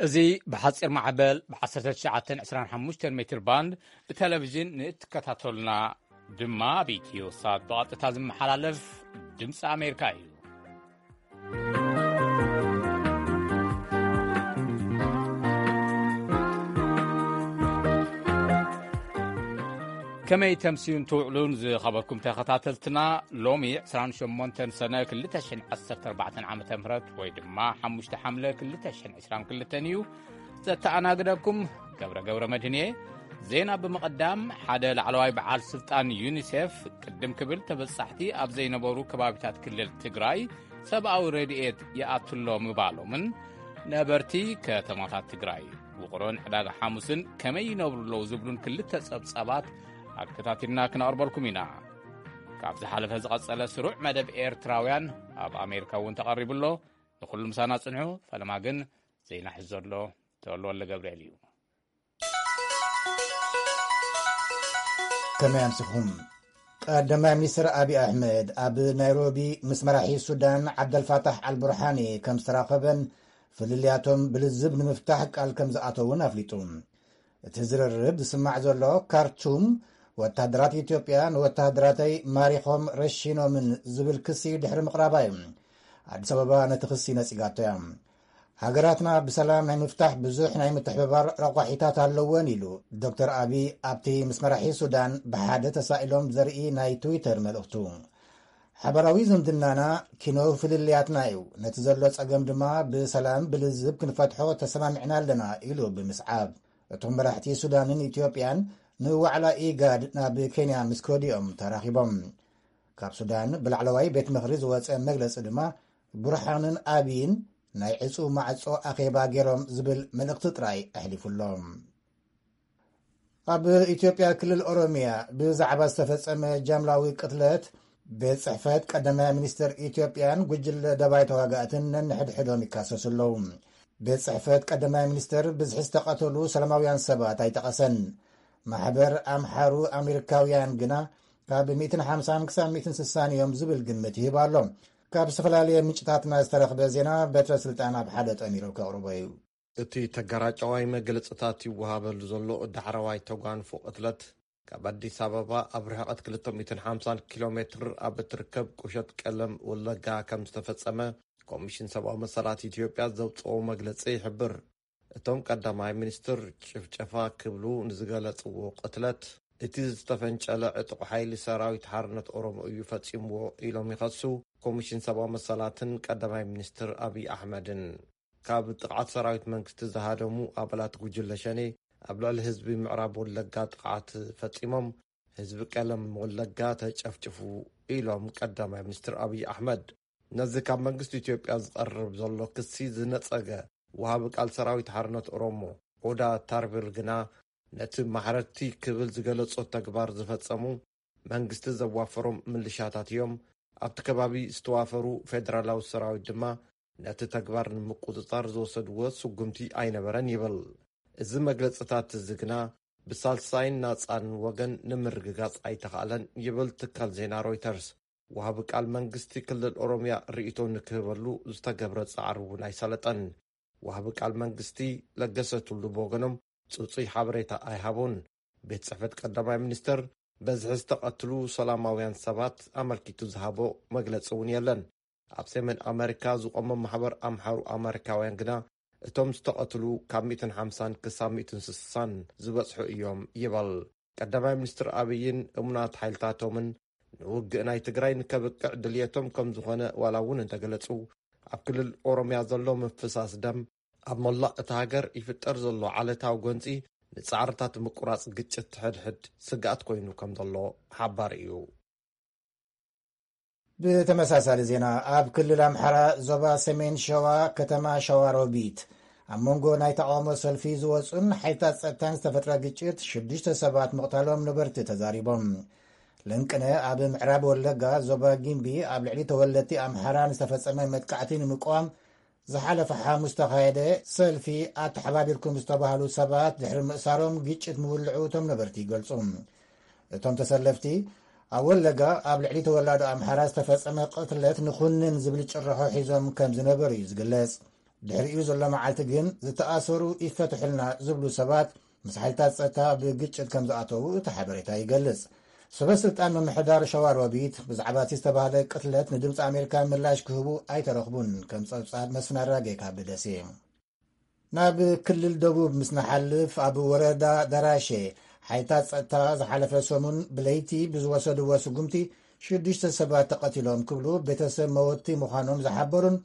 እዚ ብሓጺር ማዕበል ብ1925 ሜትር ባንድ ብቴሌቪዥን ንእትከታተሉና ድማ ኣብ ኢትዮ ሳት ብቐጥታ ዝመሓላለፍ ድምፂ ኣሜሪካ እዩ። ከመይ ተምስዩን ትውዕሉን ዝኸበርኩም ተኸታተልትና፣ ሎሚ 28 ሰነ 2014 ዓ ም ወይ ድማ 5 ሓምለ 2022 እዩ። ዘተኣናግደኩም ገብረ ገብረ መድህን እየ። ዜና ብምቕዳም፣ ሓደ ላዕለዋይ በዓል ስልጣን ዩኒሴፍ ቅድም ክብል ተበጻሕቲ ኣብ ዘይነበሩ ከባቢታት ክልል ትግራይ ሰብኣዊ ረድኤት ይኣትሎ ምባሎምን ነበርቲ ከተማታት ትግራይ ውቕሮን ዕዳጋ ሓሙስን ከመይ ይነብሩ ኣለዉ ዝብሉን ክልተ ጸብጻባት ኣከታቲልና ክነቕርበልኩም ኢና። ካብ ዝሓለፈ ዝቐጸለ ስሩዕ መደብ ኤርትራውያን ኣብ ኣሜሪካ እውን ተቐሪቡ ኣሎ። ንኹሉ ምሳና ጽንሑ። ፈለማ ግን ዜና ሒዙ ዘሎ ተወልደ ወልደ ገብርኤል እዩ። ከመይ ኣምሲኹም? ቀዳማይ ሚኒስትር ኣብይ ኣሕመድ ኣብ ናይሮቢ ምስ መራሒ ሱዳን ዓብደልፋታሕ ኣልቡርሃኒ ከም ዝተራኸበን ፍልልያቶም ብልዝብ ንምፍታሕ ቃል ከም ዝኣተውን ኣፍሊጡ። እቲ ዝርርብ ዝስማዕ ዘሎ ካርቱም ወታደራት ኢትዮጵያ ንወታደራተይ ማሪኾም ረሺኖምን ዝብል ክሲ ድሕሪ ምቕራባ እዩ። ኣዲስ ኣበባ ነቲ ክሲ ነጺጋቶ እያ። ሃገራትና ብሰላም ናይ ምፍታሕ ብዙሕ ናይ ምትሕብባር ረቋሒታት ኣለወን ኢሉ ዶክተር ኣብይ ኣብቲ ምስ መራሒ ሱዳን ብሓደ ተሳኢሎም ዘርኢ ናይ ትዊተር መልእኽቱ። ሓበራዊ ዝምድናና ኪኖ ፍልልያትና እዩ፣ ነቲ ዘሎ ጸገም ድማ ብሰላም ብልዝብ ክንፈትሖ ተሰማሚዕና ኣለና ኢሉ ብምስዓብ፣ እቶም መራሕቲ ሱዳንን ኢትዮጵያን ንዋዕላ ኢጋድ ናብ ኬንያ ምስ ከዱ እዮም ተራኺቦም። ካብ ሱዳን ብላዕለዋይ ቤት ምኽሪ ዝወጸ መግለጺ ድማ ቡርሃንን ኣብይን ናይ ዕጹ ማዕጾ ኣኼባ ገይሮም ዝብል መልእኽቲ ጥራይ ኣሕሊፉሎም። ኣብ ኢትዮጵያ ክልል ኦሮሚያ ብዛዕባ ዝተፈጸመ ጃምላዊ ቅትለት ቤት ጽሕፈት ቀዳማይ ሚኒስትር ኢትዮጵያን ጉጅለ ደባይ ተዋጋእትን ነንሕድሕዶም ይካሰሱ ኣለዉ። ቤት ጽሕፈት ቀዳማይ ሚኒስትር ብዝሒ ዝተቐተሉ ሰላማውያን ሰባት ኣይጠቐሰን። ማሕበር ኣምሓሩ ኣሜሪካውያን ግና ካብ 150 ክሳብ 160 እዮም ዝብል ግምት ይህብ ኣሎ። ካብ ዝተፈላለየ ምንጭታትና ዝተረኽበ ዜና በትረ ስልጣን ኣብ ሓደ ጠሚሩ ከቕርቦ እዩ። እቲ ተገራጫዋይ መግለጽታት ይወሃበሉ ዘሎ ዳሕረዋይ ተጓንፎ ቅትለት፣ ካብ ኣዲስ ኣበባ ኣብ ርሕቐት 250 ኪሎ ሜትር ኣብ እትርከብ ቁሸት ቀለም ወለጋ ከም ዝተፈጸመ ኮሚሽን ሰብኣዊ መሰላት ኢትዮጵያ ዘውጽኦ መግለጺ ይሕብር። እቶም ቀዳማይ ሚኒስትር ጭፍጨፋ ክብሉ ንዝገለጽዎ ቅትለት፣ እቲ ዝተፈንጨለ ዕጡቕ ሓይሊ ሰራዊት ሓርነት ኦሮሞ እዩ ፈጺምዎ ኢሎም ይኸሱ ኮሚሽን ሰብኣዊ መሰላትን ቀዳማይ ሚኒስትር ኣብይ ኣሕመድን። ካብ ጥቕዓት ሰራዊት መንግስቲ ዝሃደሙ ኣባላት ጉጅለ ሸኔ ኣብ ልዕሊ ህዝቢ ምዕራብ ወለጋ ጥቕዓት ፈጺሞም፣ ህዝቢ ቀለም ወለጋ ተጨፍጭፉ ኢሎም ቀዳማይ ሚኒስትር ኣብይ ኣሕመድ። ነዚ ካብ መንግስቲ ኢትዮጵያ ዝቐርብ ዘሎ ክሲ ዝነጸገ ወሃቢ ቃል ሰራዊት ሓርነት ኦሮሞ ኦዳ ታርቢር ግና፣ ነቲ ማሕረድቲ ክብል ዝገለጾ ተግባር ዝፈጸሙ መንግስቲ ዘዋፈሮም ምልሻታት እዮም፣ ኣብቲ ከባቢ ዝተዋፈሩ ፌደራላዊ ሰራዊት ድማ ነቲ ተግባር ንምቁጽጻር ዝወሰድዎ ስጉምቲ ኣይነበረን ይብል። እዚ መግለጽታት እዚ ግና ብሳልሳይን ናጻን ወገን ንምርግጋጽ ኣይተኻእለን ይብል ትካል ዜና ሮይተርስ። ወሃቢ ቃል መንግስቲ ክልል ኦሮምያ ርእይቶ ንክህበሉ ዝተገብረ ጻዕሪ እውን ኣይሰለጠን። ወሃቢ ቃል መንግስቲ ለገሰ ቱሉ ብወገኖም ጽጹይ ሓበሬታ ኣይሃቡን። ቤት ጽሕፈት ቀዳማይ ሚኒስትር በዝሒ ዝተቐትሉ ሰላማውያን ሰባት ኣመልኪቱ ዝሃቦ መግለጺ እውን የለን። ኣብ ሰሜን ኣመሪካ ዝቖመ ማሕበር ኣምሓሩ ኣመሪካውያን ግና እቶም ዝተቐትሉ ካብ 150 ክሳብ 160 ዝበጽሑ እዮም ይበል። ቀዳማይ ሚኒስትር ኣብይን እሙናት ሓይልታቶምን ንውግእ ናይ ትግራይ ንከብቅዕ ድልየቶም ከም ዝኾነ ዋላ እውን እንተገለጹ፣ ኣብ ክልል ኦሮምያ ዘሎ ምፍሳስ ደም ኣብ መላእ እታ ሃገር ይፍጠር ዘሎ ዓለታዊ ጎንጺ ንጻዕርታት ምቁራጽ ግጭት ሕድሕድ ስግኣት ኮይኑ ከም ዘሎ ሓባር እዩ። ብተመሳሳሊ ዜና፣ ኣብ ክልል ኣምሓራ ዞባ ሰሜን ሸዋ ከተማ ሸዋሮቢት ኣብ መንጎ ናይ ተቃውሞ ሰልፊ ዝወጹን ሓይልታት ጸጥታን ዝተፈጥረ ግጭት ሽዱሽተ ሰባት ምቕታሎም ነበርቲ ተዛሪቦም። ለንቅነ ኣብ ምዕራብ ወለጋ ዞባ ጊምቢ ኣብ ልዕሊ ተወለድቲ ኣምሓራ ንዝተፈጸመ መጥቃዕቲ ንምቅዋም ዝሓለፈ ሓሙስ ዝተኻየደ ሰልፊ ኣተሓባቢርኩም ዝተባህሉ ሰባት ድሕሪ ምእሳሮም ግጭት ምውልዑ እቶም ነበርቲ ይገልጹ። እቶም ተሰለፍቲ ኣብ ወለጋ ኣብ ልዕሊ ተወላዶ ኣምሓራ ዝተፈጸመ ቅትለት ንኹንን ዝብል ጭርሖ ሒዞም ከም ዝነበሩ እዩ ዝግለጽ። ድሕሪኡ ዘሎ መዓልቲ ግን ዝተኣሰሩ ይፈትሑልና ዝብሉ ሰባት ምስ ሓይልታት ጸጥታ ብግጭት ከም ዝኣተዉ እቲ ሓበሬታ ይገልጽ። ሰበ ስልጣን ምምሕዳር ሸዋሮቢት ብዛዕባ እቲ ዝተባህለ ቅትለት ንድምፂ ኣሜሪካ ምላሽ ክህቡ ኣይተረኽቡን። ከም ጸብጻብ መስፍን ኣራጌ ካብ ደሴ። ናብ ክልል ደቡብ ምስ ንሓልፍ ኣብ ወረዳ ደራሼ ሓይልታት ጸጥታ ዝሓለፈ ሰሙን ብለይቲ ብዝወሰድዎ ስጉምቲ ሽዱሽተ ሰባት ተቐቲሎም ክብሉ ቤተሰብ መወቲ ምዃኖም ዝሓበሩን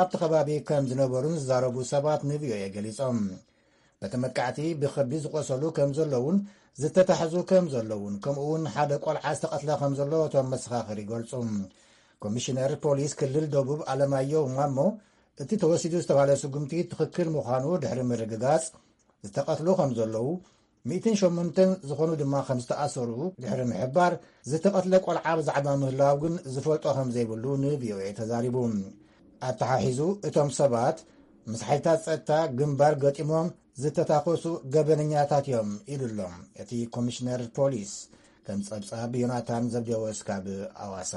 ኣብቲ ከባቢ ከም ዝነበሩን ዝዛረቡ ሰባት ንቪኦኤ ገሊጾም። በቲ መጥቃዕቲ ብኸቢድ ዝቆሰሉ ከም ዘለውን ዝተታሕዙ ከም ዘለውን ከምኡ እውን ሓደ ቆልዓ ዝተቐትለ ከም ዘሎ እቶም መሰኻኽር ይገልጹ። ኮሚሽነር ፖሊስ ክልል ደቡብ ኣለማየሁ ማሞ እቲ ተወሲዱ ዝተባህለ ስጉምቲ ትኽክል ምዃኑ ድሕሪ ምርግጋጽ ዝተቐትሉ ከም ዘለዉ ሚእትን ሸሞንተን ዝኾኑ ድማ ከም ዝተኣሰሩ ድሕሪ ምሕባር ዝተቐትለ ቆልዓ ብዛዕባ ምህላው ግን ዝፈልጦ ከም ዘይብሉ ንቪኦኤ ተዛሪቡ። ኣተሓሒዙ እቶም ሰባት ምስ ሓይልታት ጸጥታ ግንባር ገጢሞም ዝተታኮሱ ገበነኛታት እዮም ኢሉ ኣሎ እቲ ኮሚሽነር ፖሊስ። ከም ጸብጻብ ዮናታን ዘብዴዎስ ካብ ኣዋሳ።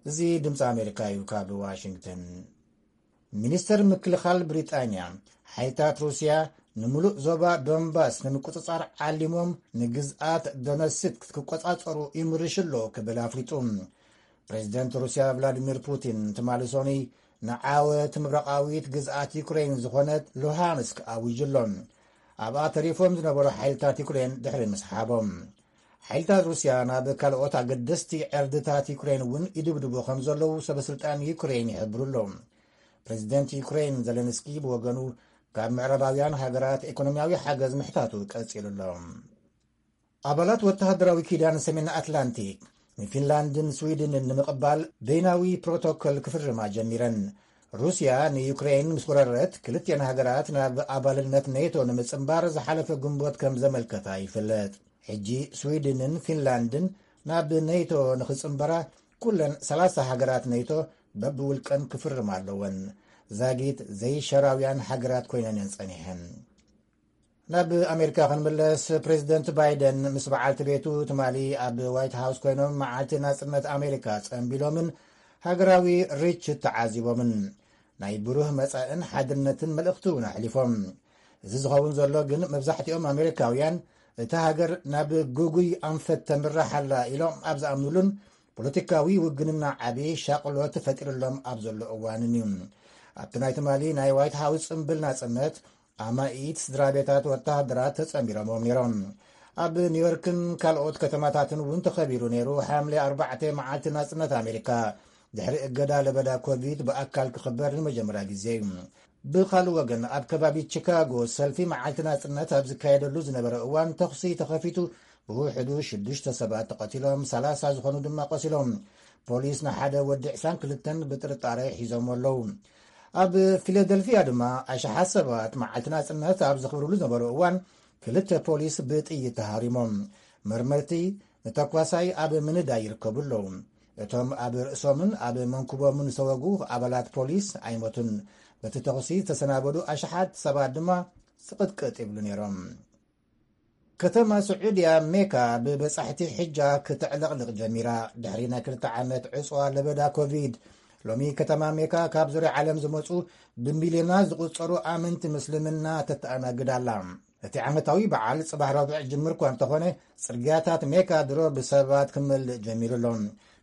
እዚ ድምፂ ኣሜሪካ እዩ። ካብ ዋሽንግተን። ሚኒስተር ምክልኻል ብሪጣንያ ሓይልታት ሩስያ ንምሉእ ዞባ ዶንባስ ንምቁጽጻር ዓሊሞም ንግዝኣት ዶነስክ ክቆጻጸሩ ይምርሽ ኣሎ ክብል ኣፍሊጡ። ፕሬዚደንት ሩስያ ቭላዲሚር ፑቲን ትማሊ ሶኒ ንዓወት ምብራቓዊት ግዝኣት ዩክሬን ዝኾነት ሉሃንስክ ኣዊጁ ኣሎ። ኣብኣ ተሪፎም ዝነበሩ ሓይልታት ዩክሬን ድሕሪ ምስሓቦም ሓይልታት ሩስያ ናብ ካልኦት ኣገደስቲ ዕርድታት ዩክሬን እውን ይድብድቡ ከም ዘለዉ ሰበስልጣን ዩክሬን ይሕብሩ ኣለዉ። ፕሬዚደንት ዩክሬን ዘለንስኪ ብወገኑ ካብ ምዕራባውያን ሃገራት ኢኮኖሚያዊ ሓገዝ ምሕታቱ ቀጺሉ ኣሎ። ኣባላት ወተሃደራዊ ኪዳን ሰሜን ኣትላንቲክ ንፊንላንድን ስዊድንን ንምቕባል በይናዊ ፕሮቶኮል ክፍርማ ጀሚረን። ሩስያ ንዩክሬን ምስ ወረረት ክልቲአን ሃገራት ናብ ኣባልነት ኔቶ ንምጽንባር ዝሓለፈ ግንቦት ከም ዘመልከታ ይፍለጥ። ሕጂ ስዊድንን ፊንላንድን ናብ ኔቶ ንኽጽንበራ ኩለን ሰላሳ ሃገራት ኔቶ በብውልቀን ክፍርማ ኣለወን። ዛጊት ዘይሸራውያን ሃገራት ኮይነን እየን ጸኒሐን። ናብ ኣሜሪካ ክንምለስ፣ ፕሬዚደንት ባይደን ምስ በዓልቲ ቤቱ ትማሊ ኣብ ዋይት ሃውስ ኮይኖም መዓልቲ ናጽነት ኣሜሪካ ጸንቢሎምን ሃገራዊ ርችት ተዓዚቦምን ናይ ብሩህ መጻእን ሓድነትን መልእኽቲ እውን ኣሕሊፎም። እዚ ዝኸውን ዘሎ ግን መብዛሕትኦም ኣሜሪካውያን እታ ሃገር ናብ ግጉይ ኣንፈት ተምርሕ ኣላ ኢሎም ኣብ ዝኣምኑሉን ፖለቲካዊ ውግንና ዓቢ ሻቕሎት ተፈጢሩሎም ኣብ ዘሎ እዋንን እዩ። ኣብቲ ናይ ትማሊ ናይ ዋይት ሃውስ ጽምብል ናጽነት ኣማኢት ስድራ ቤታት ወተሃደራት ተጸንቢሮምዎም ነይሮም። ኣብ ኒውዮርክን ካልኦት ከተማታትን እውን ተኸቢሩ ነይሩ። ሓምለ ኣርባዕተ መዓልቲ ናጽነት ኣሜሪካ ድሕሪ እገዳ ለበዳ ኮቪድ ብኣካል ክኽበር ንመጀመርያ ግዜ እዩ። ብኻልእ ወገን ኣብ ከባቢ ቺካጎ ሰልፊ መዓልቲ ናጽነት ኣብ ዝካየደሉ ዝነበረ እዋን ተኹሲ ተኸፊቱ ብውሕዱ ሽዱሽተ ሰባት ተቐቲሎም፣ ሰላሳ ዝኾኑ ድማ ቆሲሎም። ፖሊስ ንሓደ ወዲ ዕስራን ክልተን ብጥርጣረ ሒዞም ኣለዉ። ኣብ ፊላደልፊያ ድማ ኣሽሓት ሰባት መዓልቲ ናጽነት ኣብ ዘኽብርሉ ዝነበሩ እዋን ክልተ ፖሊስ ብጥይት ተሃሪሞም። መርመርቲ ንተኳሳይ ኣብ ምንዳይ ይርከቡ ኣለዉ። እቶም ኣብ ርእሶምን ኣብ መንኩቦምን ዝተወጉ ኣባላት ፖሊስ ኣይሞቱን። በቲ ተኹሲ ዝተሰናበዱ ኣሽሓት ሰባት ድማ ስቕጥቅጥ ይብሉ ነይሮም። ከተማ ስዑድያ ሜካ ብበጻሕቲ ሕጃ ክትዕለቕልቕ ጀሚራ። ድሕሪ ናይ ክልተ ዓመት ዕጽዋ ለበዳ ኮቪድ፣ ሎሚ ከተማ ሜካ ካብ ዙርያ ዓለም ዝመጹ ብሚልዮናት ዝቑጸሩ ኣመንቲ ምስልምና ተተኣናግድ ኣላ። እቲ ዓመታዊ በዓል ጽባሕ ረቡዕ ጅምር እኳ እንተኾነ፣ ጽርግያታት ሜካ ድሮ ብሰባት ክመልእ ጀሚሩ ኣሎ።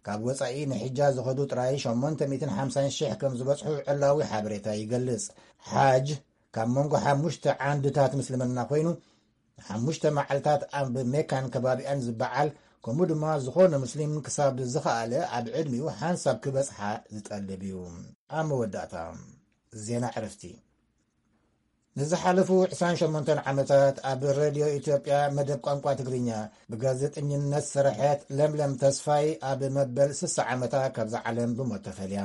ካብ ወጻኢ ንሕጃ ዝኸዱ ጥራይ ሸሞንተ ሚእትን ሓምሳን ሽሕ ከም ዝበጽሑ ዕላዊ ሓበሬታ ይገልጽ። ሓጅ ካብ መንጎ ሓሙሽተ ዓንድታት ምስልምና ኮይኑ፣ ንሓሙሽተ መዓልታት ኣብ ሜካን ከባቢኣን ዝበዓል፣ ከምኡ ድማ ዝኾነ ሙስሊም ክሳብ ዝኸኣለ ኣብ ዕድሚኡ ሓንሳብ ክበጽሓ ዝጠልብ እዩ። ኣብ መወዳእታ ዜና ዕረፍቲ። ንዝሓለፉ ዕስራን ሸሞንተን ዓመታት ኣብ ሬድዮ ኢትዮጵያ መደብ ቋንቋ ትግርኛ ብጋዜጠኝነት ዝሰርሐት ለምለም ተስፋይ ኣብ መበል ስሳ ዓመታ ካብዛ ዓለም ብሞት ተፈልያ።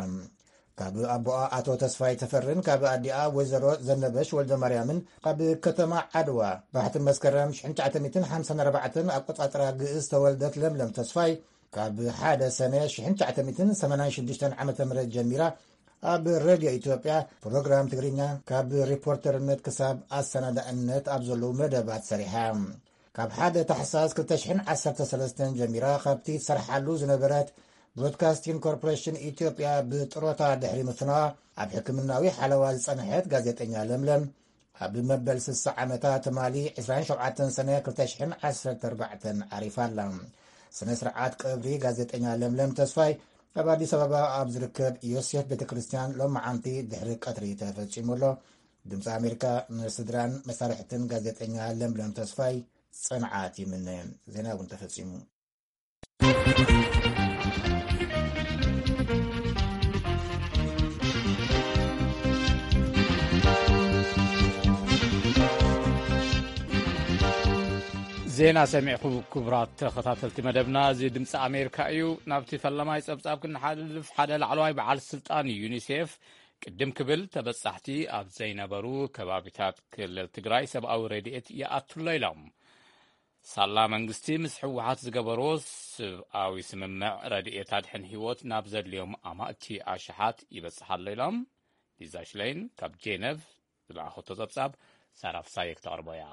ካብ ኣቦኣ ኣቶ ተስፋይ ተፈርን ካብ ኣዲኣ ወይዘሮ ዘነበሽ ወልደማርያምን ካብ ከተማ ዓድዋ ባሕቲ መስከረም ሽሕን ትሽዓተ ሚእትን ሓምሳን ኣርባዕተን ኣቆጻጽራ ግእዝ ዝተወልደት ለምለም ተስፋይ፣ ካብ ሓደ ሰነ ሽሕን ትሽዓተ ሚእትን ሰማንያን ሽዱሽተን ዓመተ ምህረት ጀሚራ ኣብ ሬድዮ ኢትዮጵያ ፕሮግራም ትግርኛ ካብ ሪፖርተርነት ክሳብ ኣሰናዳእነት ኣብ ዘለዉ መደባት ሰሪሓ። ካብ ሓደ ታሕሳስ ክልተ ሽሕን ዓሰርተ ሰለስተን ጀሚራ ካብቲ ትሰርሓሉ ዝነበረት ብሮድካስቲንግ ኮርፖሬሽን ኢትዮጵያ ብጥሮታ ድሕሪ ምፍናዋ ኣብ ሕክምናዊ ሓለዋ ዝጸንሐት ጋዜጠኛ ለምለም፣ ኣብ መበል ስሳ ዓመታ ትማሊ ዕስራን ሸውዓተን ሰነ ክልተ ሽሕን ዓሰርተ ኣርባዕተን ዓሪፋ ኣላ። ስነ ስርዓት ቀብሪ ጋዜጠኛ ለምለም ተስፋይ ኣብ ኣዲስ ኣበባ ኣብ ዝርከብ ዮሴፍ ቤተ ክርስቲያን ሎማዓንቲ ድሕሪ ቀትሪ ተፈጺሙ ኣሎ። ድምፂ ኣሜሪካ ንስድራን መሳርሕትን ጋዜጠኛ ለምለም ተስፋይ ጽንዓት ይምነ። ዜና እውን ተፈጺሙ። ዜና ሰሚዕኩም ክቡራት ተኸታተልቲ መደብና፣ እዚ ድምፂ ኣሜሪካ እዩ። ናብቲ ፈለማይ ጸብጻብ ክንሓልፍ፣ ሓደ ላዕለዋይ በዓል ስልጣን ዩኒሴፍ ቅድም ክብል ተበጻሕቲ ኣብ ዘይነበሩ ከባቢታት ክልል ትግራይ ሰብኣዊ ረድኤት ይኣቱ ኣሎ ኢሎም። ሳላ መንግስቲ ምስ ህወሓት ዝገበሮ ሰብኣዊ ስምምዕ ረድኤት ኣድሕን ህይወት ናብ ዘድልዮም ኣማእቲ ኣሽሓት ይበጽሕ ኣሎ ኢሎም። ሊዛ ሽለይን ካብ ጄነቭ ዝለኣኸቶ ጸብጻብ ሳራ ፍሳየ ክተቕርቦ እያ።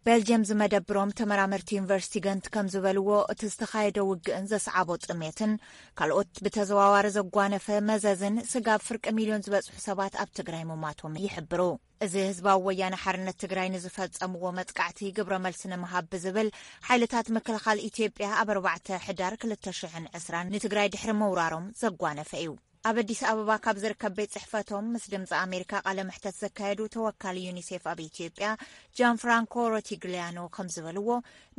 ቤልጅየም ዝመደብሮም ተመራመርቲ ዩኒቨርሲቲ ገንት ከም ዝበልዎ፣ እቲ ዝተኻየደ ውግእን ዘስዓቦ ጥሜትን ካልኦት ብተዘዋዋሪ ዘጓነፈ መዘዝን ስጋብ ፍርቂ ሚልዮን ዝበጽሑ ሰባት ኣብ ትግራይ ምሟቶም ይሕብሩ። እዚ ህዝባዊ ወያነ ሓርነት ትግራይ ንዝፈጸምዎ መጥቃዕቲ ግብረ መልሲ ንምሃብ ብዝብል፣ ሓይልታት ምክልኻል ኢትዮጵያ ኣብ ኣርባዕተ ሕዳር ክልተ ሽሕን ዕስራን ንትግራይ ድሕሪ ምውራሮም ዘጓነፈ እዩ። ኣብ ኣዲስ ኣበባ ካብ ዝርከብ ቤት ጽሕፈቶም ምስ ድምፂ ኣሜሪካ ቃለ መሕተት ዘካየዱ ተወካሊ ዩኒሴፍ ኣብ ኢትዮጵያ ጃን ፍራንኮ ሮቲግሊያኖ ከም ዝበልዎ፣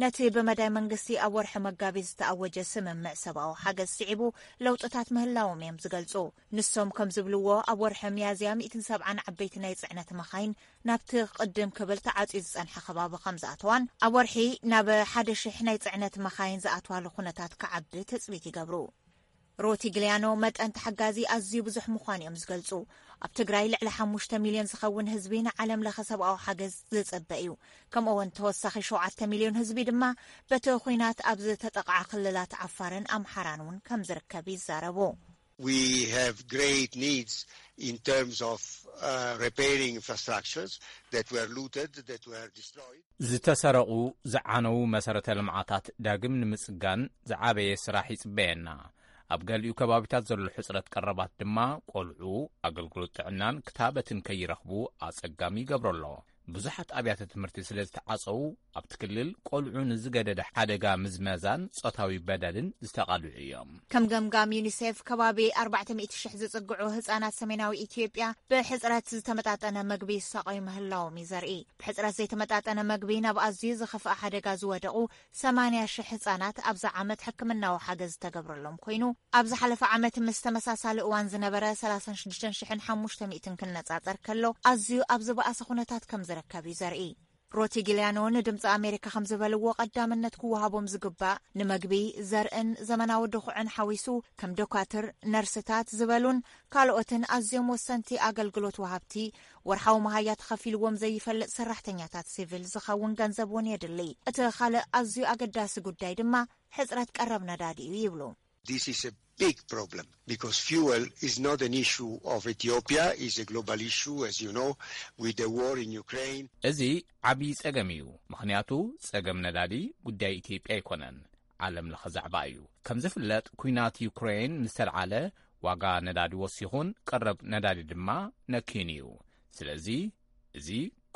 ነቲ ብመዳይ መንግስቲ ኣብ ወርሒ መጋቢት ዝተኣወጀ ስምምዕ ሰብኣዊ ሓገዝ ስዒቡ ለውጥታት ምህላዎም እዮም ዝገልጹ። ንሶም ከም ዝብልዎ፣ ኣብ ወርሒ ሚያዝያ ሚእትን ሰብዓን ዓበይቲ ናይ ጽዕነት መኻይን ናብቲ ቅድም ክብል ተዓጽዩ ዝጸንሐ ከባቢ ከም ዝኣተዋን ኣብ ወርሒ ናብ ሓደ ሽሕ ናይ ጽዕነት መኻይን ዝኣትዋሉ ኩነታት ክዓቢ ትጽቢት ይገብሩ። ሮቲግሊያኖ መጠን ተሓጋዚ ኣዝዩ ብዙሕ ምዃኑ እዮም ዝገልጹ። ኣብ ትግራይ ልዕሊ ሓሙሽተ ሚልዮን ዝኸውን ህዝቢ ንዓለም ለኸ ሰብኣዊ ሓገዝ ዝጽበ እዩ። ከምኡ እውን ተወሳኺ ሸውዓተ ሚልዮን ህዝቢ ድማ በቲ ኹናት ኣብ ዝተጠቕዓ ክልላት ዓፋርን ኣምሓራን እውን ከም ዝርከብ ይዛረቡ። We have great needs in terms of uh, repairing infrastructures that were looted, that were destroyed. ዝተሰረቑ፣ ዝዓነዉ መሰረተ ልምዓታት ዳግም ንምጽጋን ዝዓበየ ስራሕ ይጽበየና። ኣብ ገሊኡ ከባቢታት ዘሎ ሕጽረት ቀረባት ድማ ቆልዑ ኣገልግሎት ጥዕናን ክታበትን ከይረኽቡ ኣጸጋሚ ይገብሮ ኣሎ። ብዙሓት ኣብያተ ትምህርቲ ስለ ዝተዓጸዉ፣ ኣብቲ ክልል ቆልዑ ንዝገደደ ሓደጋ ምዝመዛን ጾታዊ በደልን ዝተቓልዑ እዮም። ከም ገምጋም ዩኒሴፍ፣ ከባቢ ኣርባዕተ ሚእቲ ሽሕ ዝጽግዑ ህጻናት ሰሜናዊ ኢትዮጵያ ብሕጽረት ዝተመጣጠነ መግቢ ይሳቐዩ ምህላዎም እዩ ዘርኢ። ብሕጽረት ዘይተመጣጠነ መግቢ ናብ ኣዝዩ ዝኸፍኣ ሓደጋ ዝወደቑ ሰማንያ ሽሕ ህጻናት ኣብዚ ዓመት ሕክምናዊ ሓገዝ ዝተገብረሎም ኮይኑ፣ ኣብ ዝሓለፈ ዓመት ምስ ተመሳሳሊ እዋን ዝነበረ ሰላሳን ሽዱሽተን ሽሕን ሓሙሽተ ሚእትን ክነጻጸር ከሎ፣ ኣዝዩ ኣብ ዝበኣሰ ኩነታት ከም ዝርከብ እዩ ዘርኢ። ሮቲግሊያኖ ንድምፂ ኣሜሪካ ከም ዝበልዎ፣ ቀዳምነት ክወሃቦም ዝግባእ ንመግቢ፣ ዘርእን ዘመናዊ ድኹዕን ሓዊሱ፣ ከም ዶካትር፣ ነርስታት ዝበሉን ካልኦትን ኣዝዮም ወሰንቲ ኣገልግሎት ወሃብቲ፣ ወርሓዊ መሃያ ተኸፊልዎም ዘይፈልጥ ሰራሕተኛታት ሲቪል ዝኸውን ገንዘብ እውን የድሊ። እቲ ካልእ ኣዝዩ ኣገዳሲ ጉዳይ ድማ ሕጽረት ቀረብ ነዳዲ እዩ ይብሉ። This is a big problem because fuel is not an issue of Ethiopia, it's a global issue, as you know, with the war in Ukraine. እዚ ዓብዪ ጸገም እዩ፣ ምኽንያቱ ጸገም ነዳዲ ጉዳይ ኢትዮጵያ ኣይኮነን፣ ዓለም ለኸ ዛዕባ እዩ። ከም ዝፍለጥ፣ ኲናት ዩክሬን ምስ ተልዓለ ዋጋ ነዳዲ ወሲኹን ቀረብ ነዳዲ ድማ ነክዩን እዩ። ስለዚ እዚ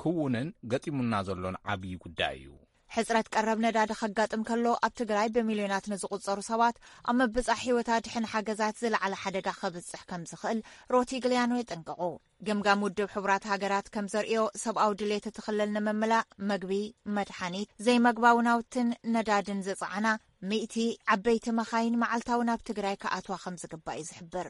ክውንን ገጢሙና ዘሎን ዓብዪ ጉዳይ እዩ። ሕጽረት ቀረብ ነዳዲ ከጋጥም ከሎ፣ ኣብ ትግራይ ብሚልዮናት ንዝቑጸሩ ሰባት ኣብ ምብጻሕ ህይወት ኣድሕን ሓገዛት ዝለዓለ ሓደጋ ከብጽሕ ከም ዝኽእል ሮቲግሊያኖ የጠንቅቑ። ገምጋም ውድብ ሕቡራት ሃገራት ከም ዘርእዮ፣ ሰብኣዊ ድሌት እቲ ክልል ንምምላእ፣ መግቢ፣ መድሓኒት፣ ዘይመግባዊ ናውትን ነዳድን ዝጸዓና ሚእቲ ዓበይቲ መኻይን መዓልታዊ ናብ ትግራይ ክኣትዋ ከም ዝግባእ እዩ ዝሕብር።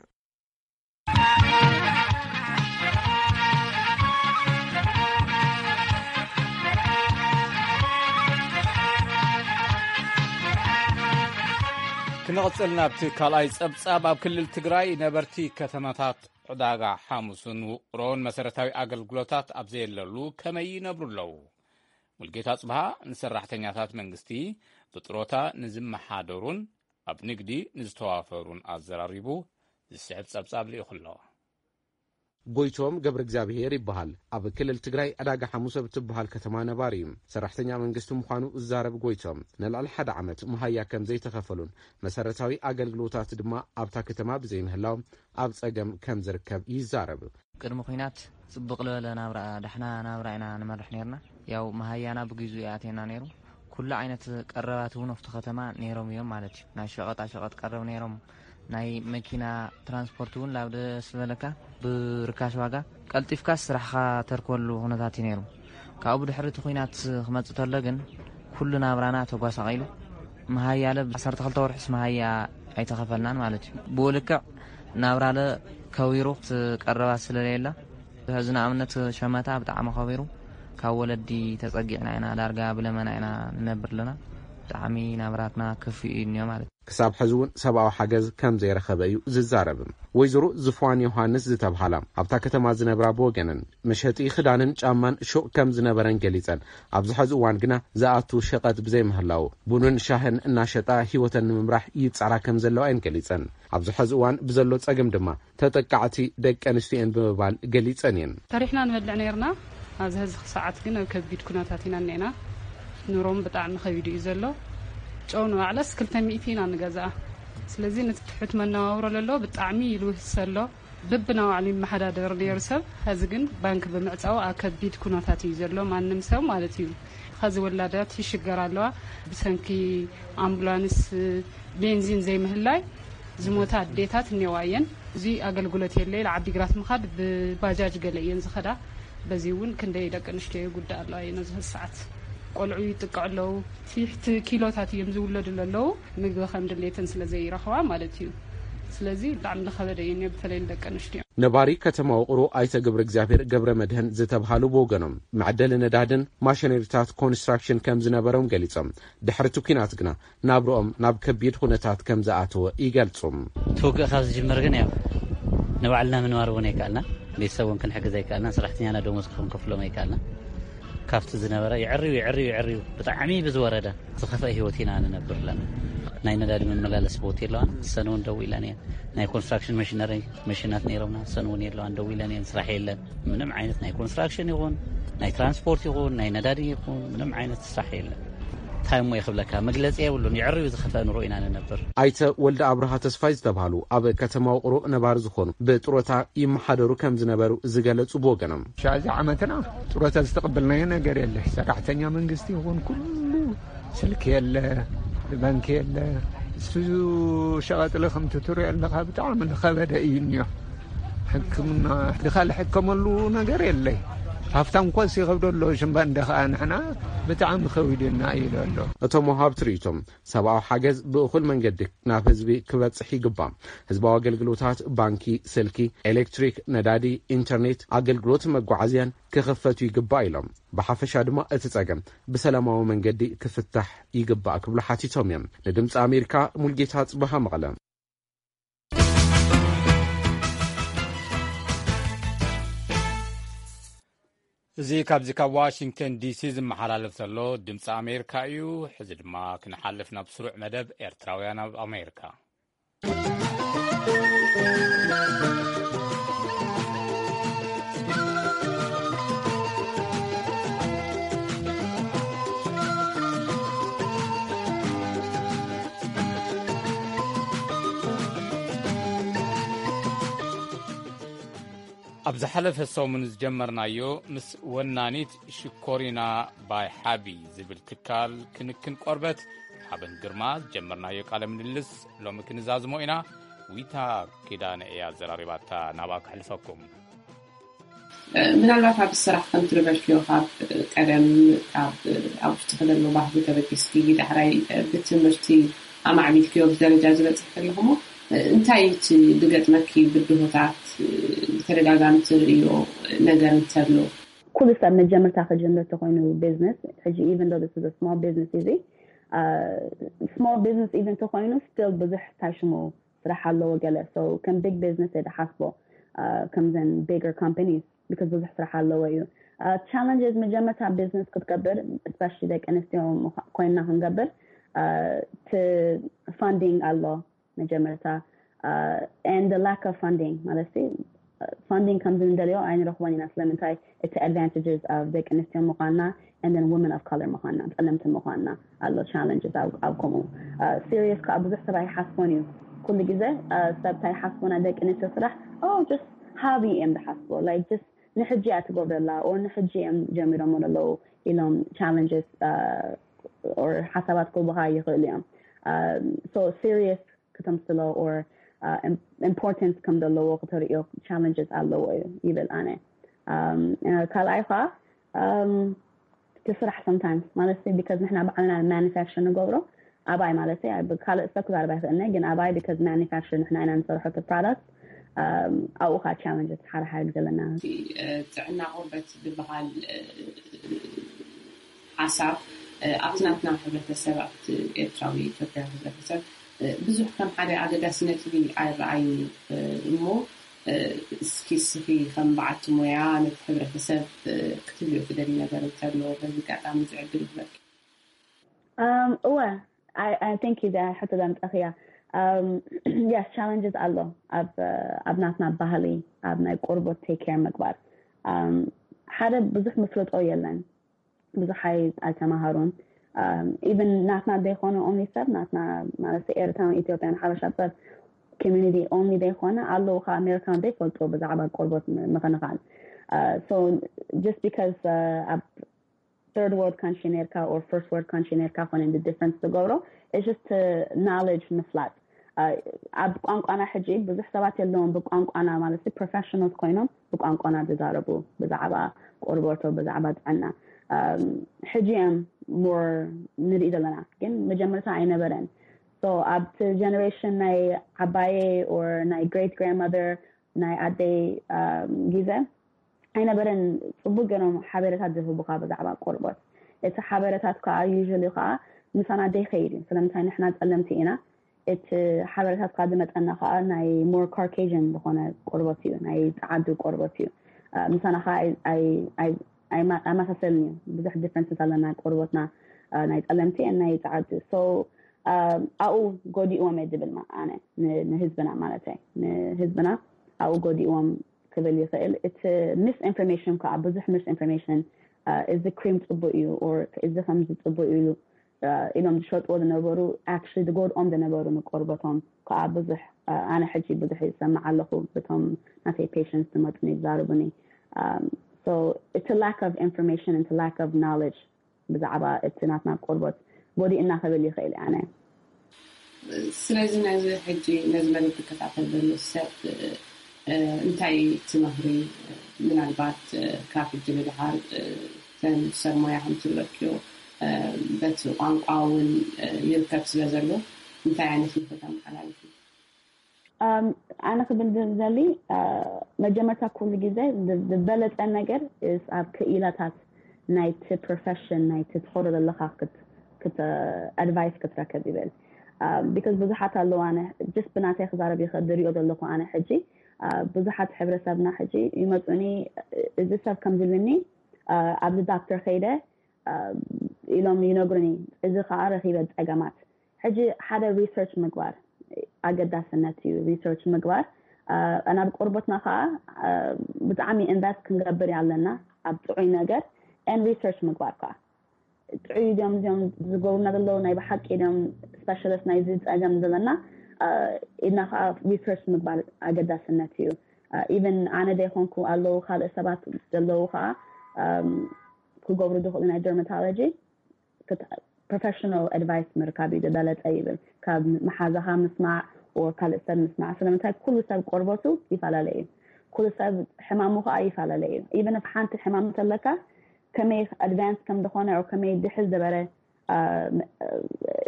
ክንቕጽል ናብቲ ካልኣይ ጸብጻብ። ኣብ ክልል ትግራይ ነበርቲ ከተማታት ዕዳጋ ሓሙስን ውቕሮን መሰረታዊ ኣገልግሎታት ኣብ ዘየለሉ ከመይ ይነብሩ ኣለዉ? ሙልጌታ ጽብሃ ንሰራሕተኛታት መንግስቲ ብጥሮታ ንዝመሓደሩን ኣብ ንግዲ ንዝተዋፈሩን ኣዘራሪቡ ዝስዕብ ጸብጻብ ልኢኹ ኣሎ። ጎይቶም ገብረ እግዚኣብሔር ይበሃል። ኣብ ክልል ትግራይ ዕዳጋ ሓሙስ ኣብ ትበሃል ከተማ ነባሪ እዩ። ሰራሕተኛ መንግስቲ ምዃኑ ዝዛረብ ጎይቶም፣ ንልዕሊ ሓደ ዓመት መሃያ ከም ዘይተኸፈሉን መሰረታዊ ኣገልግሎታት ድማ ኣብታ ከተማ ብዘይምህላው ኣብ ጸገም ከም ዝርከብ ይዛረብ። ቅድሚ ኲናት ጽቡቕ ዝበለ ናብራ፣ ዳሕና ናብራ ኢና ንመርሕ ነርና። ያው መሃያና ብግዜኡ ኣትየና ነይሩ። ኩሉ ዓይነት ቀረባት እውን ኣብቲ ከተማ ነይሮም እዮም ማለት እዩ። ናይ ሸቐጣ ሸቐጥ ቀረብ ነይሮም። ናይ መኪና ትራንስፖርት እውን ላብ ደስ ዝበለካ ብርካሽ ዋጋ ቀልጢፍካ ስራሕኻ ተርከበሉ ኩነታት እዩ ነይሩ። ካብኡ ብድሕሪ እቲ ኲናት ክመጽእ ተሎ ግን ኩሉ ናብራና ተጓሳቒሉ። መሃያለ ዓሰርተ ክልተ ወርሕስ መሃያ ኣይተኸፈልናን ማለት እዩ። ብኡ ልክዕ ናብራለ ከዊሩ፣ እቲ ቀረባት ስለለየለ፣ ሕዚ ንኣብነት ሸመታ ብጣዕሚ ከቢሩ፣ ካብ ወለዲ ተጸጊዕና ኢና፣ ዳርጋ ብለመና ኢና ንነብር ኣለና። ብጣዕሚ ናብራትና ክፍኡ እዩ እኒኦ ማለት እዩ። ክሳብ ሕዚ እውን ሰብኣዊ ሓገዝ ከም ዘይረኸበ እዩ ዝዛረብ። ወይዘሮ ዝፍዋን ዮሃንስ ዝተብሃላ ኣብታ ከተማ ዝነብራ ብወገነን፣ መሸጢ ክዳንን ጫማን ሹቕ ከም ዝነበረን ገሊጸን፣ ኣብዚ ሕዚ እዋን ግና ዝኣቱ ሸቐጥ ብዘይምህላው ቡንን ሻህን እናሸጣ ህይወተን ንምምራሕ ይጻራ ከም ዘለዋ እየን ገሊጸን። ኣብዚ ሕዚ እዋን ብዘሎ ጸገም ድማ ተጠቃዕቲ ደቂ ኣንስትዮ እየን ብምባል ገሊጸን እየን። ሰሪሕና ንበልዕ ነይርና። ኣብዚ ሕዚ ሰዓት ግን ኣብ ከቢድ ኩነታት ኢና እኒአና። ኑሮም ብጣዕሚ ከቢዱ እዩ ዘሎ። ጨው ንባዕለስ ክልተ ሚእቲ ኢና ንገዝኣ። ስለዚ ነቲ ትሑት መነባብሮ ለሎ ብጣዕሚ ይልውስ ዘሎ። በብናባዕሉ ይመሓዳደር ነይሩ ሰብ፣ ሕዚ ግን ባንክ ብምዕጻው ኣብ ከቢድ ኩነታት እዩ ዘሎ፣ ማንም ሰብ ማለት እዩ። ሕዚ ወላዳት ይሽገር ኣለዋ፣ ብሰንኪ ኣምቡላንስ ቤንዚን ዘይምህላይ ዝሞታ ኣዴታት እኔዋ እየን። እዚ ኣገልግሎት የለ ኢለ ዓዲግራት ምኻድ ብባጃጅ ገለ እየን ዝኸዳ። በዚ እውን ክንደይ ደቂ ኣንስትዮ ይጉዳእ ኣለዋ እየን ኣብዚ ሰዓት። ቆልዑ ይጥቀዑ ኣለዉ። ትሕቲ ኪሎታት እዮም ዝውለዱ ኣለዉ፣ ምግቢ ከም ድሌተን ስለ ዘይረኽባ ማለት እዩ። ስለዚ ብጣዕሚ ዝኸበደ እዩ እኒኦ፣ በተለይ ንደቂ ኣንስትዮ። ነባሪ ከተማ ውቕሮ ኣይተ ግብረ እግዚኣብሔር ገብረ መድህን ዝተብሃሉ ብወገኖም፣ መዕደሊ ነዳድን ማሽነሪታት ኮንስትራክሽን ከም ዝነበሮም ገሊጾም፣ ድሕሪ እቲ ኲናት ግና ናብርኦም ናብ ከቢድ ኩነታት ከም ዝኣተወ ይገልጹ። እቲ ውግእ ካብ ዝጅምር ግን ያው ንባዕልና ምንባር እውን ኣይከኣልና፣ ቤተሰብ እውን ክንሕግዝ ኣይከኣልና፣ ሰራሕተኛና ደሞዝ ክንከፍሎም ኣይከኣልና። ካብቲ ዝነበረ የዕርዩ፣ የዕርዩ፣ የዕርዩ፣ ብጣዕሚ ብዝወረደ ዝኸፍአ ህይወት ኢና ንነብር ኣለና። ናይ ነዳዲ መመላለሲ ቦት የለዋን፣ እሰን እውን ደው ኢለን እየን። ናይ ኮንስትራክሽን መሽነሪ መሽናት ነይሮምና፣ እሰን እውን የለዋን፣ ደው ኢለን እየን፣ ስራሕ የለን። ምንም ዓይነት ናይ ኮንስትራክሽን ይኹን፣ ናይ ትራንስፖርት ይኹን፣ ናይ ነዳዲ ይኹን፣ ምንም ዓይነት ስራሕ የለን። እንታይ እሞ ይኽብለካ፣ መግለጺ የብሉን። የዕርዩ ዝኸፍአ ኑሮ ኢና ንነብር። ኣይተ ወልደ ኣብርሃ ተስፋይ ዝተባህሉ ኣብ ከተማ ውቕሮ ነባሪ ዝኾኑ፣ ብጥሮታ ይመሓደሩ ከም ዝነበሩ ዝገለጹ ብወገኖም፣ ሻዚ ዓመትና ጥሮታ ዝተቐበልናዮ ነገር የለ። ሰራሕተኛ መንግስቲ ይኹን ኩሉ ስልኪ የለ፣ ባንኪ የለ። እሱ ሸቐጥለ ከምቲ ትሪኦ ኣለኻ ብጣዕሚ ዝኸበደ እዩ እኒኦ። ሕክምና ድኻ ልሕከመሉ ነገር የለይ። ሃፍታም ኮስ ይኸብዶ ኣሎ ሽምባ እንደ ኸኣ ንሕና ብጣዕሚ ከዊድና እዩ ዘሎ። እቶም ወሃብቲ ርእይቶም፣ ሰብኣዊ ሓገዝ ብእኹል መንገዲ ናብ ህዝቢ ክበጽሕ ይግባእ። ህዝባዊ ኣገልግሎታት፣ ባንኪ፣ ስልኪ፣ ኤሌክትሪክ፣ ነዳዲ፣ ኢንተርኔት፣ ኣገልግሎት መጓዓዝያን ክኽፈቱ ይግባእ ኢሎም። ብሓፈሻ ድማ እቲ ጸገም ብሰላማዊ መንገዲ ክፍታሕ ይግባእ ክብሉ ሓቲቶም እዮም። ንድምፂ ኣሜሪካ ሙልጌታ ጽበሃ መቐለ። እዚ ካብዚ ካብ ዋሽንግተን ዲሲ ዝመሓላለፍ ዘሎ ድምፂ ኣሜሪካ እዩ። ሕዚ ድማ ክንሓልፍ ናብ ስሩዕ መደብ ኤርትራውያን ኣብ ኣሜሪካ። ኣብ ዝሓለፈ ሰሙን ዝጀመርናዮ ምስ ወናኒት ሽኮሪና ባይ ሓቢ ዝብል ትካል ክንክን ቆርበት ሓበን ግርማ ዝጀመርናዮ ቃለ ምልልስ ሎሚ ክንዛዝሞ ኢና። ዊታ ኪዳነ እያ ኣዘራሪባታ፣ ናብኣ ከሕልፈኩም። ምናልባት ኣብ ስራሕ ከም ትነበርክዮ ካብ ቀደም ካብ ኣብ ውሽጥኺ ዘሎ ባህጊ ተበጊስኪ ዳሕራይ ብትምህርቲ ኣማዕቢልክዮ ኣብዚ ደረጃ ዝበፅሕ ዘለኹሞ እንታይ እቲ ዝገጥመኪ ብድሆታት ብተደጋጋሚ ትርእዮ ነገር እንተሎ? ኩሉ ሰብ መጀመርታ ክጅምር ተኮይኑ ቢዝነስ ሕጂ even though this is a small business እዚ small business even ተኮይኑ still ብዙሕ ታሽሙ ስራሕ ኣለዎ ገለ so ከም big business እየ ዝሓስቦ ከምዘን bigger companies because ብዙሕ ስራሕ ኣለዎ እዩ challenges መጀመርታ ቢዝነስ ክትገብር especially ደቂ ኣንስትዮ ኮይንና ክንገብር እቲ funding ኣሎ መጀመርታ and the lack of funding ማለት funding ከም ዝንደልዮ ኣይንረኽቦን ኢና። ስለምንታይ? እቲ advantages of ደቂ ኣንስትዮ ምዃንና and then women of color ምዃንና፣ ጸለምቲ ምዃንና ኣሎ challenges ኣብ ከምኡ serious ከዓ ብዙሕ ሰብ ኣይሓስቦን እዩ። ኩሉ ግዜ ሰብ እንታይ ሓስቦና ደቂ ኣንስትዮ ስራሕ just hobby እዮም ዝሓስቦ። Like just ንሕጂ እያ ትገብረላ or ንሕጂ እዮም ጀሚሮሞ ዘለዉ ኢሎም challenges or ሓሳባት ክህቡኻ ይኽእሉ እዮም። So serious ክተምስሎ or importance ከም ዘለዎ ክተርእዮ challenges ኣለዎ እዩ ይብል ኣነ። ካልኣይ ከዓ እቲ ስራሕ sometimes ማለት because ንሕና ባዕልና manufacture ንገብሮ ኣባይ ማለት ካልእ ሰብ ክዛረብ ኣይክእልነ ግን ኣባይ because manufacture ንሕና ኢና ንሰርሖ እቲ product ኣብኡ ከዓ challenges ሓረሓር ዘለና። ጥዕና ቆርበት ዝበሃል ሓሳብ ኣብቲ ናትና ሕብረተሰብ ኣብቲ ኤርትራዊ ኢትዮጵያ ሕብረተሰብ ብዙሕ ከም ሓደ ኣገዳሲ ነጥቢ ኣይረኣይን እሞ እስኪ እስኺ ከም በዓልቲ ሞያ ነቲ ሕብረተሰብ ክትብልዮ ትደሊ ነገር እንተሎ በዚ ኣጋጣሚ ዝዕድል ይህበኪ። እወ thank you ሕቶ ዘምፀኽያ። Yes challenges ኣሎ ኣብ ናትና ባህሊ ኣብ ናይ ቆርቦት take care ምግባር ሓደ ብዙሕ ምፍልጦ የለን። ብዙሕ ኣይተማሃሩን even ናትና ዘይኮነ only ሰብ ናትና ማለት ኤርትራን ኢትዮጵያን ሓበሻ ሰብ community only ዘይኮነ ኣለዉ ካብ ኣሜሪካን ዘይፈልጡ ብዛዕባ ቆርቦት ምኽንኻን። So just because ኣብ third world country ነርካ or first world country ነርካ ኮነ difference ዝገብሮ it's just knowledge ምፍላጥ። ኣብ ቋንቋና ሕጂ ብዙሕ ሰባት የለዎም ብቋንቋና ማለት professionals ኮይኖም ብቋንቋና ዝዛረቡ ብዛዕባ ቆርቦቶ ብዛዕባ ጥዕና ሕጂ እዮም more ንርኢ ዘለና ግን መጀመርታ ኣይነበረን። So ኣብቲ generation ናይ ዓባየ or ናይ great grandmother ናይ ኣደይ ግዜ ኣይነበረን። ፅቡቅ ገይሮም ሓበሬታት ዝህቡካ ብዛዕባ ቆርቦት። እቲ ሓበሬታት ከዓ usually ከዓ ምሳና ዘይከይድ እዩ። ስለምንታይ ንሕና ፀለምቲ ኢና። እቲ ሓበሬታት ከዓ ዝመፀና ከዓ ናይ more Caucasian ዝኾነ ቆርቦት እዩ፣ ናይ ፀዓዱ ቆርቦት እዩ። ምሳና ከዓ ኣይመሳሰልን እዩ። ብዙሕ differences ኣለና ቆርቦትና ናይ ፀለምቲ ናይ ፀዓዱ። So ኣብኡ ጎዲእዎም እየ ዝብል ኣነ ንህዝብና ማለት ንህዝብና ኣብኡ ጎዲእዎም ክብል ይኽእል። እቲ misinformation ከዓ ብዙሕ misinformation እዚ cream ፅቡቅ እዩ or እዚ ከምዚ ፅቡቅ እዩ ኢሎም ዝሸጥዎ ዝነበሩ actually ዝጎድኦም ዝነበሩ ንቆርበቶም ከዓ ብዙሕ ኣነ ሕጂ ብዙሕ ይሰማዕ ኣለኹ። ብቶም ናተይ patients ዝመፁኒ ይዛረቡኒ። So it's a lack of information and it's a lack of knowledge ብዛዕባ እቲ ናትና ቆርበት ጎዲእና ክብል ይኽእል ኣነ። ስለዚ ነዚ ሕጂ ነዚ መደብ ዝከታተል ዘሎ ሰብ እንታይ ትመኽሪ? ምናልባት ካብ ሕጂ ንድሓር ተን ሰብ ሞያ ከም ትብለክዮ በቲ ቋንቋ እውን ይርከብ ስለ ዘሎ እንታይ ዓይነት ምኽሪ ተመሓላልፊ? ኣነ ክብል ዝደሊ መጀመርታ ኩሉ ግዜ ዝበለፀ ነገር ኣብ ክኢላታት ናይቲ profession ናይቲ ትኸዶ ዘለካ advice ክትረከብ ይብል። Because ብዙሓት ኣለዉ ኣነ just ብናተይ ክዛረብ ይኽእል ዝሪኦ ዘለኹ ኣነ ሕጂ ብዙሓት ሕብረተሰብና ሕጂ ይመፁኒ እዚ ሰብ ከም ዝብልኒ ኣብዚ ዳክተር ከይደ ኢሎም ይነግሩኒ። እዚ ከዓ ረኪበ ፀገማት ሕጂ ሓደ research ምግባር ኣገዳስነት እዩ። Research ምግባር ናብ ቆርቦትና ከዓ ብጣዕሚ invest ክንገብር ኣለና ኣብ ጥዑይ ነገር and research ምግባር ከዓ ጥዑይ ድዮም እዚኦም ዝገብሩና ዘለዉ ናይ ብሓቂ ድዮም specialist ናይዚ ፀገም ዘለና ኢልና ከዓ research ምግባር ኣገዳስነት እዩ። Even ኣነ ዘይኮንኩ ኣለዉ ካልእ ሰባት ዘለዉ ከዓ ክገብሩ ዝኽእሉ ናይ dermatology professional advice ምርካብ እዩ ዝበለፀ ይብል። ካብ መሓዛኻ ምስማዕ or ካልእ ሰብ ምስማዕ። ስለምንታይ ኩሉ ሰብ ቆርበቱ ይፈላለ እዩ። ኩሉ ሰብ ሕማሙ ከዓ ይፈላለ እዩ። Even if ሓንቲ ሕማም እንተለካ ከመይ advance ከም ዝኾነ or ከመይ ድሕል ዝበረ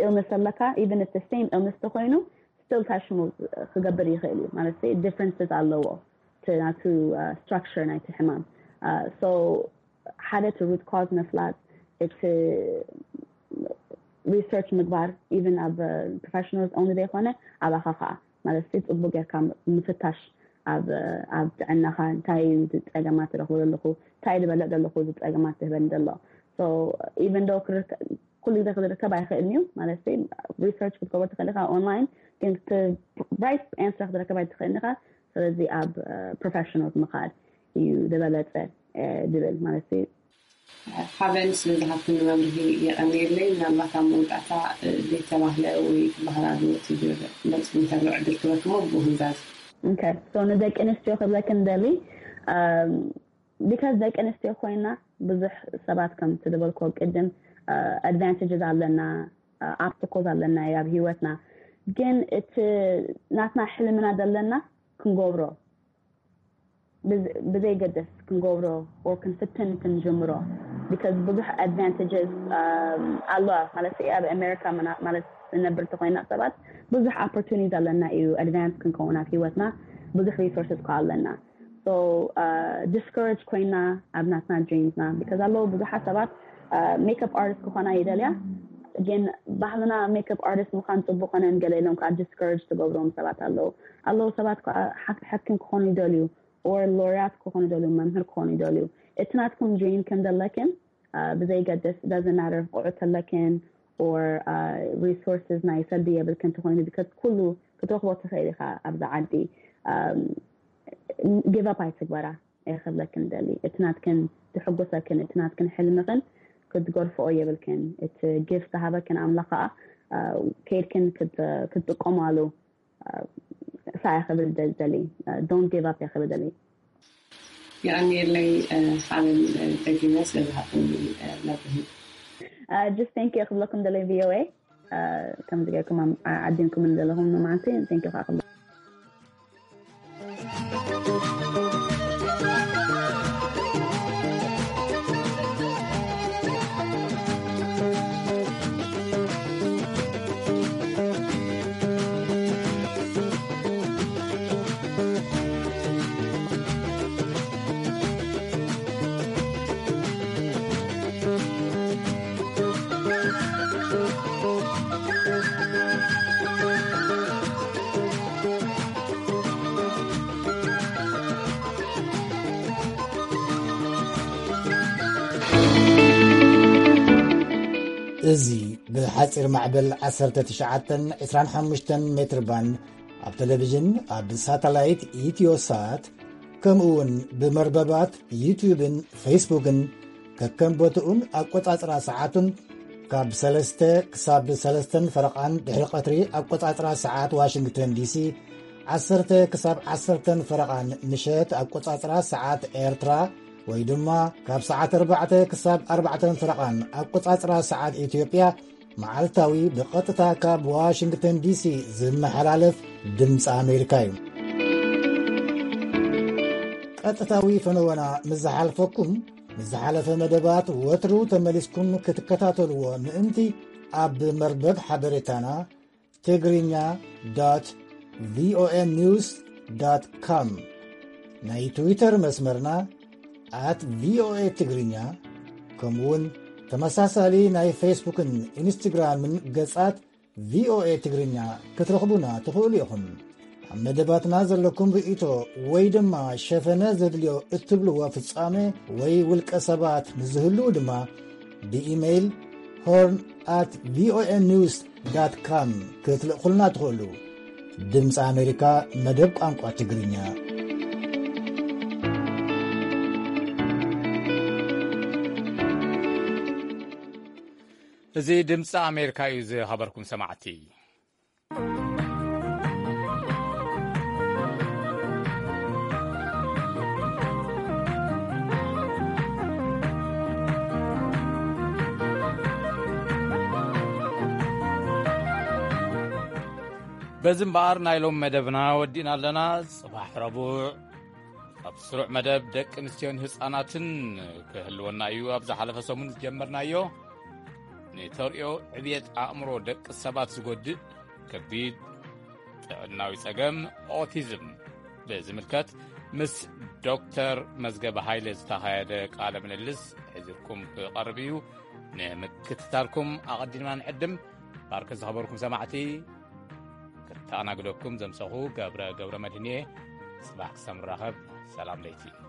illness ኣለካ even if the same illness ተኮይኑ still ታሽሙ ክገብር ይኽእል እዩ ማለት differences ኣለዎ ናቱ structure ናይቲ ሕማም። So ሓደ እቲ root cause ምፍላጥ እቲ research ምግባር even ኣብ professionals only ዘይኮነ ኣባኻ ከዓ ማለት ጽቡቅ ጌርካ ምፍታሽ ኣብ ኣብ ጥዕናኻ እንታይ እዩ ዝፀገማት ረኽቦ ዘለኹ እንታይ ዝበለእ ዘለኹ ዝፀገማት ዝህበኒ ዘሎ። So even though ኩሉ ግዜ ክዝርከብ ኣይኽእልን እዩ ማለት research ክትገብር ትኽእል ኢኻ online ግን right answer ክትረከብ ኣይትኽእልን ኢኻ። ስለዚ ኣብ ፕሮፌሽናል ምኻድ እዩ ዝበለፀ ድብል ማለት እዩ። ሓበን ስለዝሃብክኒ መብርሂ የቐንየለይ። ምናልባት ኣብ መወዳእታ ዘይተባህለ ወይ ክበሃል ኣለዎ ትብል መልሲ እንተሎ ዕድል ክበክሞ ብህንዛዝ ንደቂ ኣንስትዮ ክብለክን ደሊ ቢካዝ ደቂ ኣንስትዮ ኮይና ብዙሕ ሰባት ከም ትደበልኮ ቅድም ኣድቫንቴጅስ ኣለና፣ ኣብስታክልስ ኣለና ኣብ ህይወትና። ግን እቲ ናትና ሕልምና ዘለና ክንገብሮ ብዘይገደስ ክንገብሮ ኦር ክንፍትን ክንጀምሮ። ቢካዝ ብዙሕ ኣድቫንቴጅስ ኣለዋ ማለት ኣብ ኣሜሪካ ማለት ዝነብር ተኮይና ሰባት ብዙሕ ኦፖርቱኒቲ ኣለና እዩ ኣድቫንስ ክንከውን ኣብ ህይወትና ብዙሕ ሪሶርስስ ከ ኣለና። ዲስኮሬጅ ኮይና ኣብ ናትና ድሪምስና ቢካዝ ኣለዉ ብዙሓት ሰባት ሜክኣፕ ኣርቲስት ክኾና ይደልያ። ግን ባህልና ሜክኣፕ ኣርቲስት ምዃን ፅቡቅ ኮነ ገለ ኢሎም ከዓ ዲስኮሬጅ ትገብሮም ሰባት ኣለዉ ኣለዉ ሰባት ከዓ ሓኪም ክኾኑ ይደልዩ ኦር ሎርያት ክኾኑ ይደልዩ መምህር ክኾኑ ይደልዩ። እቲ ናትኩም ድሪም ከም ዘለክን ብዘይገድስ ዳዝናረር ቆዑ ተለክን ኦር ሪሶርስስ ናይ ሰልዲ የብልክን ተኮይኑ ቢካዝ ኩሉ ክትረክቦ ትኽእል ኢኻ ኣብዚ ዓዲ። ጊቭ ኣፕ ኣይትግበራ እየ ክብለክን ደሊ። እቲ ናትክን ዝሕጎሰክን እቲ ናትክን ሕልምክን ክትገርፍኦ የብልክን። እቲ ጊፍት ዝሃበክን ኣምላኽ ከዓ ከይድክን ክትጥቀማሉ ሳያ ክብል ደሊ። ዶንት ጊቭ ኣፕ እየ ክብል ደሊ። የቐንየለይ ሓበን ደጊመ ስለዝሃብክኒ መብርሂ። ጅስት ቴንክ ዩ ክብለኩም ደለይ ቪኦኤ ከምዚ ጌርኩም ዓዲምኩም ዘለኹም ንመዓንቲ ቴንክ ዩ ከዓ ክብለ እዚ ብሓፂር ማዕበል ዓሰርተ ትሽዓተን ዕስራን ሓሙሽተን ሜትር ባንድ ኣብ ቴሌቪዥን፣ ኣብ ሳተላይት ኢትዮሳት፣ ከምኡ እውን ብመርበባት ዩትዩብን ፌስቡክን ከከም ቦትኡን ኣቆጻጽራ ሰዓቱን ካብ ሰለስተ ክሳብ ሰለስተን ፈረቓን ድሕሪ ቀትሪ ኣቆጻጽራ ሰዓት ዋሽንግተን ዲሲ፣ ዓሰርተ ክሳብ ዓሰርተን ፈረቓን ምሸት ኣቆጻጽራ ሰዓት ኤርትራ፣ ወይ ድማ ካብ ሰዓት ኣርባዕተ ክሳብ ኣርባዕተን ፈረቓን ኣቆጻጽራ ሰዓት ኢትዮጵያ፣ መዓልታዊ ብቐጥታ ካብ ዋሽንግተን ዲሲ ዝመሓላለፍ ድምፂ ኣሜሪካ እዩ። ቀጥታዊ ፈነወና ምስ ዝሓልፈኩም፣ ምስ ዝሓለፈ መደባት ወትሩ ተመሊስኩም ክትከታተልዎ ምእንቲ፣ ኣብ መርበብ ሓበሬታና ትግርኛ ዶት ቪኦኤ ኒውስ ዶት ኮም፣ ናይ ትዊተር መስመርና ኣት ቪኦኤ ትግርኛ፣ ከምኡውን ተመሳሳሊ ናይ ፌስቡክን ኢንስትግራምን ገጻት ቪኦኤ ትግርኛ ክትረኽቡና ትኽእሉ ኢኹም። ኣብ መደባትና ዘለኩም ርእይቶ ወይ ድማ ሸፈነ ዘድልዮ እትብልዎ ፍጻመ ወይ ውልቀ ሰባት ንዝህልዉ ድማ ብኢሜይል ሆርን ኣት ቪኦኤ ኒውስ ዳት ካም ክትልእኹልና ትኽእሉ። ድምፂ ኣሜሪካ መደብ ቋንቋ ትግርኛ። እዚ ድምፂ ኣሜሪካ እዩ ዝኸበርኩም ሰማዕቲ። በዚ እምበኣር ናይ ሎም መደብና ወዲእና ኣለና። ጽባሕ ረቡዕ ኣብ ስሩዕ መደብ ደቂ ኣንስትዮን ህጻናትን ክህልወና እዩ። ኣብ ዝሓለፈ ሰሙን ዝጀመርናዮ ንተርእዮ ዕብየት ኣእምሮ ደቂ ሰባት ዝጎድእ ከቢድ ጥዕናዊ ጸገም ኦቲዝም ብዝምልከት ምስ ዶክተር መዝገበ ሃይለ ዝተኻየደ ቃለ ምልልስ ሒዝኩም ክቐርብ እዩ። ንምክትታልኩም ኣቐዲምና ንዕድም። ባርከ ዝኸበርኩም ሰማዕቲ፣ ክተኣናግደኩም ዘምሰኹ ገብረ ገብረ መድህን እየ። ጽባሕ ክሳብ ንራኸብ ሰላም ለይቲ።